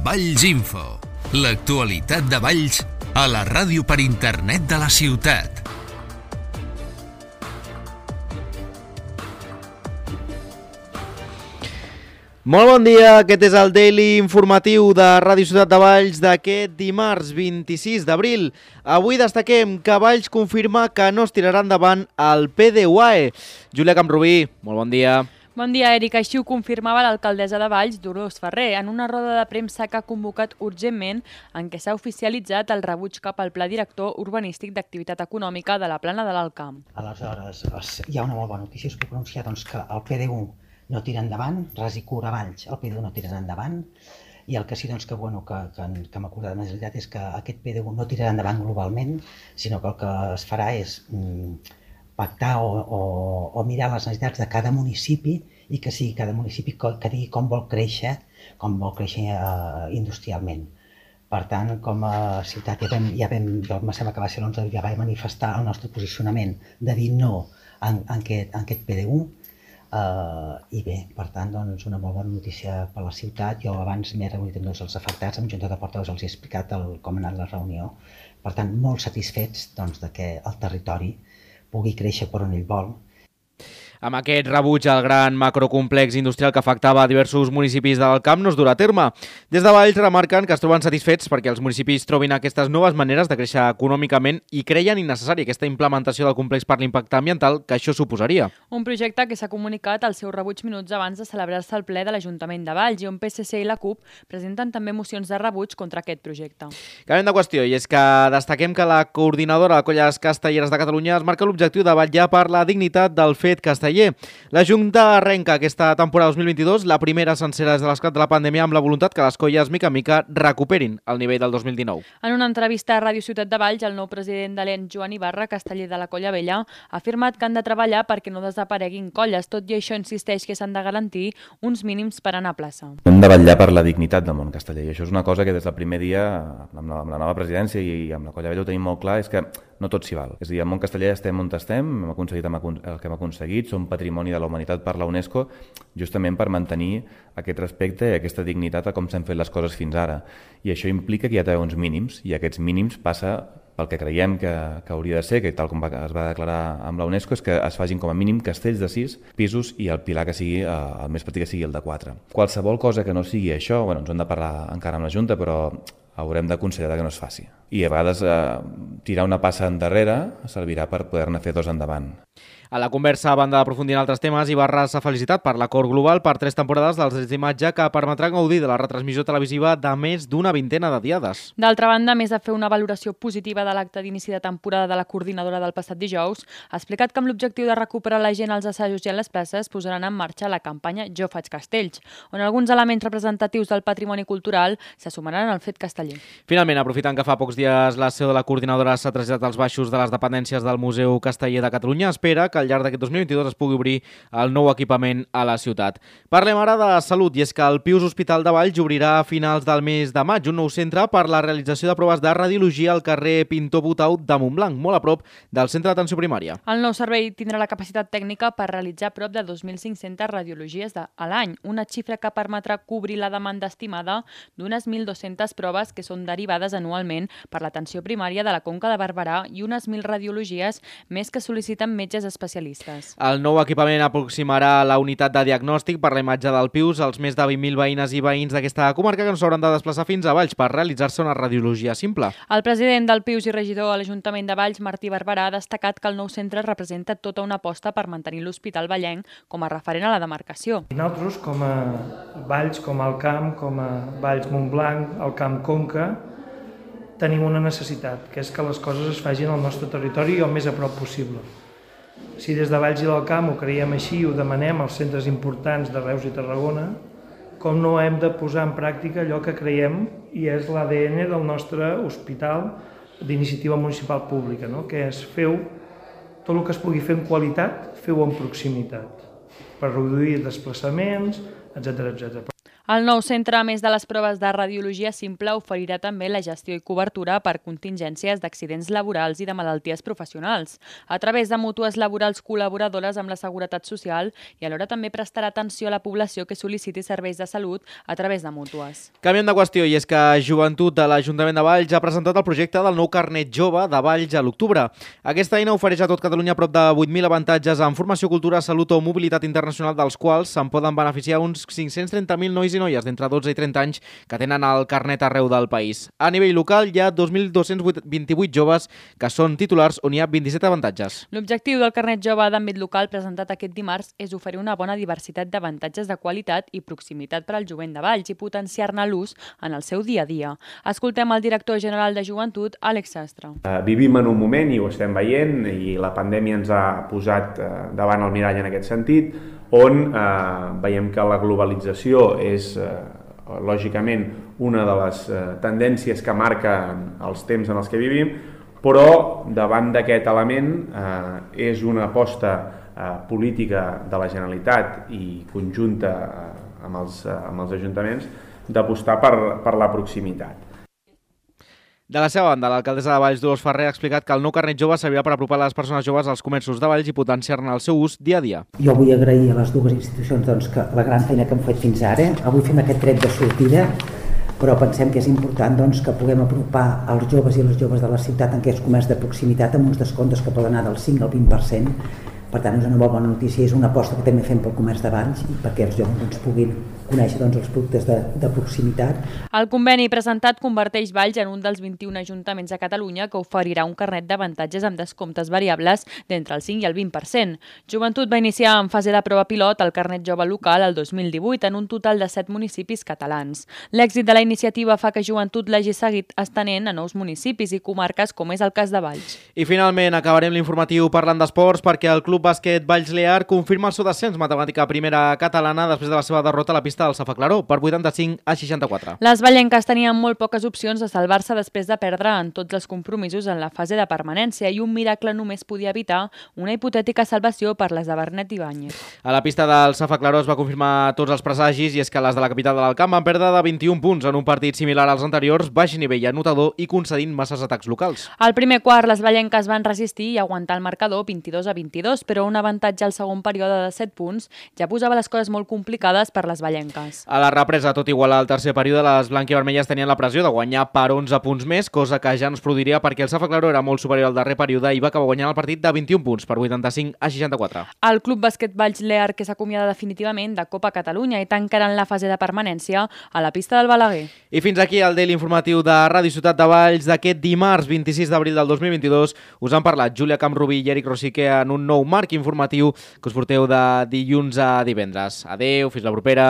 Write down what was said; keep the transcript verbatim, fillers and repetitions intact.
Valls Info, l'actualitat de Valls a la ràdio per internet de la ciutat. Molt bon dia, aquest és el Daily informatiu de Ràdio Ciutat de Valls d'aquest dimarts vint-i-sis d'abril. Avui destaquem que Valls confirma que no es tirarà endavant el P D U A E. Júlia Camprubí, molt bon dia. Bon dia, Eric. Així ho confirmava l'alcaldessa de Valls, Dolors Ferrer, en una roda de premsa que ha convocat urgentment en què s'ha oficialitzat el rebuig cap al Pla Director Urbanístic d'Activitat Econòmica de la Plana de l'Alt Camp. Aleshores, hi ha una molt bona notícia, es puc anunciar doncs, que el P D U no tira endavant, ras i cura Valls, el P D U no tirarà endavant, i el que sí doncs, que, bueno, que, que, que m'ha acordat més aviat és que aquest P D U no tirarà endavant globalment, sinó que el que es farà és mm, pactar o, o, o mirar les necessitats de cada municipi i que sigui cada municipi que digui com vol créixer, com vol créixer eh, industrialment. Per tant, com a ciutat ja vam, ja vam jo em sembla que va ser l'onze, ja vaig manifestar el nostre posicionament de dir no en, en, aquest, en aquest P D U. Uh, I bé, per tant, doncs, una molt bona notícia per la ciutat. Jo abans m'he reunit amb tots els afectats, amb Junta de Portaveus els he explicat el, com ha anat la reunió. Per tant, molt satisfets doncs, de que el territori pugui créixer per on ell vol. Amb aquest rebuig al gran macrocomplex industrial que afectava a diversos municipis del Camp no es durà a terme. Des de Valls remarquen que es troben satisfets perquè els municipis trobin aquestes noves maneres de créixer econòmicament i creien innecessària aquesta implementació del complex per l'impacte ambiental que això suposaria. Un projecte que s'ha comunicat al seu rebuig minuts abans de celebrar-se el ple de l'Ajuntament de Valls i on P S C i la CUP presenten també mocions de rebuig contra aquest projecte. Canviem de qüestió i és que destaquem que la coordinadora de colles castelleres de Catalunya es marca l'objectiu de vetllar per la dignitat del fet casteller. La Junta arrenca aquesta temporada dos mil vint-i-dos, la primera sencera des de l'esclat de la pandèmia, amb la voluntat que les colles mica en mica recuperin el nivell del dos mil dinou. En una entrevista a Ràdio Ciutat de Valls, el nou president de l'E N, Joan Ibarra, casteller de la Colla Vella, ha afirmat que han de treballar perquè no desapareguin colles. Tot i això insisteix que s'han de garantir uns mínims per anar a plaça. Hem de vetllar per la dignitat del món casteller i això és una cosa que des del primer dia, amb la, amb la nova presidència i amb la Colla Vella ho tenim molt clar, és que no tot s'hi val. És a dir, el món casteller estem on estem, hem aconseguit el que hem aconseguit, som patrimoni de la humanitat per la UNESCO, justament per mantenir aquest respecte i aquesta dignitat a com s'han fet les coses fins ara. I això implica que hi ha d'haver uns mínims, i aquests mínims passa pel que creiem que, que hauria de ser, que tal com es va declarar amb la UNESCO, és que es facin com a mínim castells de sis pisos i el pilar que sigui, el més petit que sigui el de quatre. Qualsevol cosa que no sigui això, bueno, ens hem de parlar encara amb la Junta, però haurem de considerar que no es faci. I a vegades eh, tirar una passa endarrere servirà per poder-ne fer dos endavant. A la conversa, a banda d'aprofundir en altres temes, Ibarra s'ha felicitat per l'acord global per tres temporades dels drets d'imatge que permetrà gaudir de la retransmissió televisiva de més d'una vintena de diades. D'altra banda, a més de fer una valoració positiva de l'acte d'inici de temporada de la coordinadora del passat dijous, ha explicat que amb l'objectiu de recuperar la gent als assajos i a les places posaran en marxa la campanya Jo faig castells, on alguns elements representatius del patrimoni cultural se sumaran al fet casteller. Finalment, aprofitant que fa pocs dies la seu de la coordinadora s'ha traslladat als baixos de les dependències del Museu Casteller de Catalunya, espera que al llarg d'aquest dos mil vint-i-dos es pugui obrir el nou equipament a la ciutat. Parlem ara de salut, i és que el Pius Hospital de Valls obrirà a finals del mes de maig un nou centre per la realització de proves de radiologia al carrer Pintor Butau de Montblanc, molt a prop del centre d'atenció primària. El nou servei tindrà la capacitat tècnica per realitzar prop de dos mil cinc-centes radiologies a l'any, una xifra que permetrà cobrir la demanda estimada d'unes mil dues-centes proves que són derivades anualment per l'atenció primària de la Conca de Barberà i unes mil radiologies més que sol·liciten metges especialistes. El nou equipament aproximarà la unitat de diagnòstic per la imatge del Pius als més de vint mil veïnes i veïns d'aquesta comarca que no s'hauran de desplaçar fins a Valls per realitzar-se una radiologia simple. El president del Pius i regidor a l'Ajuntament de Valls, Martí Barberà, ha destacat que el nou centre representa tota una aposta per mantenir l'Hospital Vallenc com a referent a la demarcació. Nosaltres, com a Valls, com al Camp, com a Valls Montblanc, al Camp Conca, tenim una necessitat, que és que les coses es facin al nostre territori el més a prop possible. Si des de Valls i del Camp ho creiem així i ho demanem als centres importants de Reus i Tarragona, com no hem de posar en pràctica allò que creiem i és l'A D N del nostre hospital d'iniciativa municipal pública, no? Que és feu tot el que es pugui fer en qualitat, feu en proximitat, per reduir desplaçaments, etcètera etcètera. El nou centre, a més de les proves de radiologia simple, oferirà també la gestió i cobertura per contingències d'accidents laborals i de malalties professionals, a través de mútues laborals col·laboradores amb la Seguretat Social, i alhora també prestarà atenció a la població que sol·liciti serveis de salut a través de mútues. Canviem de qüestió, i és que Joventut de l'Ajuntament de Valls ha presentat el projecte del nou carnet jove de Valls a l'octubre. Aquesta eina ofereix a tot Catalunya prop de vuit mil avantatges en formació, cultura, salut o mobilitat internacional, dels quals se'n poden beneficiar uns cinc-cents trenta mil nois i noies d'entre dotze i trenta anys que tenen el carnet arreu del país. A nivell local hi ha dos mil dos-cents vint-i-vuit joves que són titulars, on hi ha vint-i-set avantatges. L'objectiu del carnet jove d'àmbit local presentat aquest dimarts és oferir una bona diversitat d'avantatges de qualitat i proximitat per al jovent de Valls i potenciar-ne l'ús en el seu dia a dia. Escoltem el director general de Joventut, Àlex Sastre. Uh, vivim en un moment, i ho estem veient, i la pandèmia ens ha posat uh, davant el mirall en aquest sentit, on eh, veiem que la globalització és, eh, lògicament, una de les eh, tendències que marquen els temps en els que vivim, però davant d'aquest element eh, és una aposta eh, política de la Generalitat i conjunta eh, amb, els, eh, amb els ajuntaments d'apostar per, per la proximitat. De la seva banda, l'alcaldessa de Valls, Dolors Ferrer, ha explicat que el nou carnet jove servirà per apropar les persones joves als comerços de Valls i potenciar-ne el seu ús dia a dia. Jo vull agrair a les dues institucions doncs, que la gran feina que hem fet fins ara. Avui fem aquest tret de sortida, però pensem que és important doncs, que puguem apropar els joves i les joves de la ciutat en aquests comerç de proximitat amb uns descomptes que poden anar del cinc al vint per cent. Per tant, és una molt bona notícia, és una aposta que també fem pel comerç de Valls i perquè els joves doncs, puguin conèixer doncs, els productes de, de proximitat. El conveni presentat converteix Valls en un dels vint-i-un ajuntaments a Catalunya que oferirà un carnet d'avantatges amb descomptes variables d'entre el cinc i el vint per cent. Joventut va iniciar en fase de prova pilot el carnet jove local el dos mil divuit en un total de set municipis catalans. L'èxit de la iniciativa fa que Joventut l'hagi seguit estenent a nous municipis i comarques, com és el cas de Valls. I finalment acabarem l'informatiu parlant d'esports, perquè el Club Bàsquet Valls Lear confirma el seu descens matemàtica primera catalana després de la seva derrota a la pista del Safa Claró per vuitanta-cinc a seixanta-quatre. Les vallenques tenien molt poques opcions de salvar-se després de perdre en tots els compromisos en la fase de permanència, i un miracle només podia evitar una hipotètica salvació per les de Bernet Ibáñez. A la pista del Safa Claró es va confirmar tots els presagis, i és que les de la capital de l'Alcamp van perdre de vint-i-un punts en un partit similar als anteriors, baix nivell anotador i concedint masses atacs locals. Al primer quart, les vallenques van resistir i aguantar el marcador vint-i-dos a vint-i-dos, però un avantatge al segon període de set punts ja posava les coses molt complicades per les vallenques. A la represa, tot igual al tercer període, les blanquivermelles tenien la pressió de guanyar per onze punts més, cosa que ja no es produiria perquè el Safa Claró era molt superior al darrer període i va acabar guanyant el partit de vint-i-un punts per vuitanta-cinc a seixanta-quatre. El Club Bàsquet Valls Lear, que s'acomiada definitivament de Copa Catalunya i tancarà en la fase de permanència a la pista del Balaguer. I fins aquí el Daily Informatiu de Ràdio Ciutat de Valls d'aquest dimarts vint-i-sis d'abril del dos mil vint-i-dos. Us han parlat Júlia Camprubí i Eric Rosique en un nou marc informatiu que us porteu de dilluns a divendres. Adeu, fins la propera.